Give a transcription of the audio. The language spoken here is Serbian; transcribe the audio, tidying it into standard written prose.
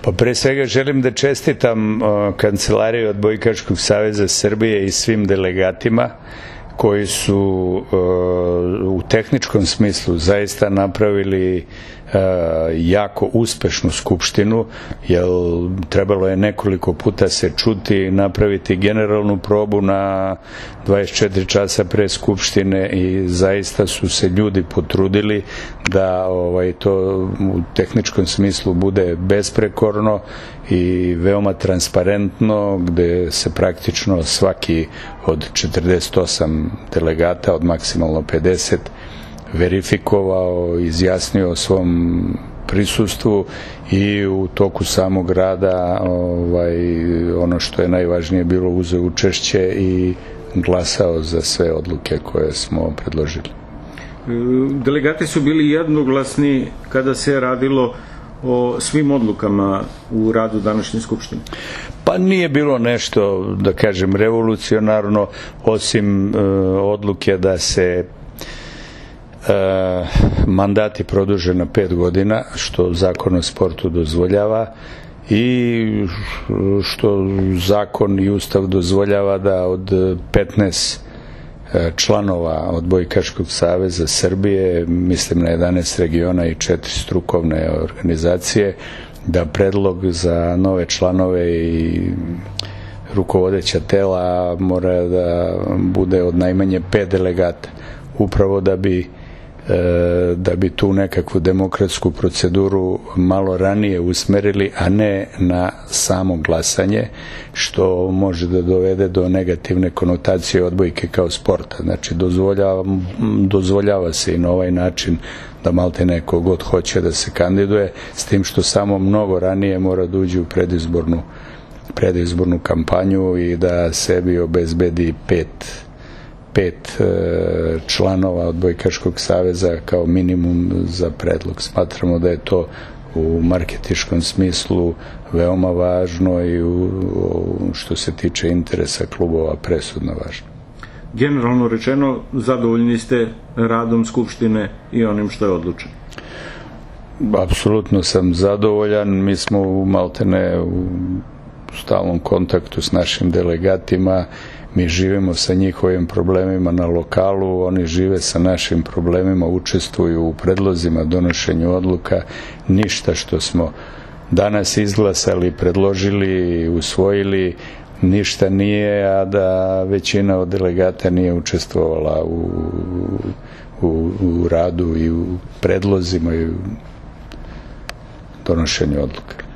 Pa pre svega želim da čestitam Kancelariji Odbojkaškog saveza Srbije i svim delegatima koji su u tehničkom smislu zaista napravili jako uspešnu skupštinu, jer trebalo je nekoliko puta se čuti i napraviti generalnu probu na 24 časa pre skupštine i zaista su se ljudi potrudili da to u tehničkom smislu bude besprekorno i veoma transparentno, gde se praktično svaki od 48 delegata od maksimalno 50 verifikovao, izjasnio o svom prisustvu i u toku samog rada ono što je najvažnije bilo, uzeo učešće i glasao za sve odluke koje smo predložili. Delegati su bili jednoglasni kada se radilo o svim odlukama u radu današnje skupštine? Pa nije bilo nešto, da kažem, revolucionarno, osim odluke da se mandati produže na 5 godina, što Zakon o sportu dozvoljava i što zakon i Ustav dozvoljava da od 15 članova Odbojkaškog saveza Srbije, mislim na 11 regiona i 4 strukovne organizacije, da predlog za nove članove i rukovodeća tela mora da bude od najmanje 5 delegata, upravo da bi tu nekakvu demokratsku proceduru malo ranije usmerili, a ne na samo glasanje, što može da dovede do negativne konotacije odbojke kao sporta. Znači, dozvoljava se i na ovaj način da malte neko god hoće da se kandiduje, s tim što samo mnogo ranije mora da uđe u predizbornu kampanju i da sebi obezbedi 5 članova Odbojkaškog saveza kao minimum za predlog. Smatramo da je to u marketičkom smislu veoma važno i što se tiče interesa klubova presudno važno. Generalno rečeno, zadovoljni ste radom Skupštine i onim što je odlučeno? Apsolutno sam zadovoljan. Mi smo maltene u stalnom kontaktu s našim delegatima. Mi živimo sa njihovim problemima na lokalu, oni žive sa našim problemima, učestvuju u predlozima, donošenju odluka. Ništa što smo danas izglasali, predložili, usvojili, ništa nije, a da većina od delegata nije učestvovala u radu i u predlozima i u donošenju odluka.